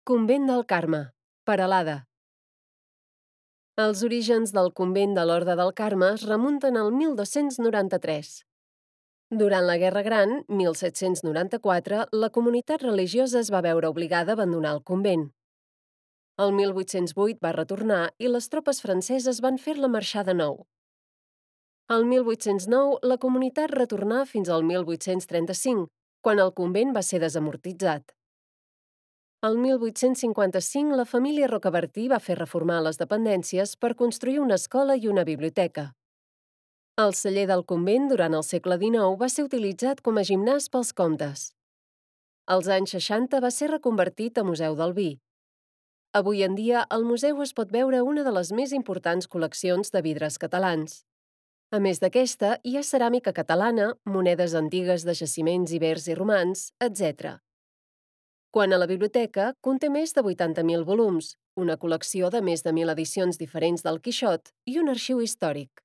Convent del Carme, Peralada. Els orígens del convent de l'Orde del Carme es remunten al 1293. Durant la Guerra Gran, 1794, la comunitat religiosa es va veure obligada a abandonar el convent. El 1808 va retornar i les tropes franceses van fer-la marxar de nou. El 1809, la comunitat retornà fins al 1835, quan el convent va ser desamortitzat. El 1855, la família Rocabertí va fer reformar les dependències per construir una escola i una biblioteca. El celler del convent, durant el segle XIX, va ser utilitzat com a gimnàs pels comtes. Als anys 60 va ser reconvertit a Museu del Vi. Avui en dia, al museu es pot veure una de les més importants col·leccions de vidres catalans. A més d'aquesta, hi ha ceràmica catalana, monedes antigues de jaciments ibers i romans, etc. Quant a la biblioteca, conté més de 80.000 volums, una col·lecció de més de 1.000 edicions diferents del Quixot i un arxiu històric.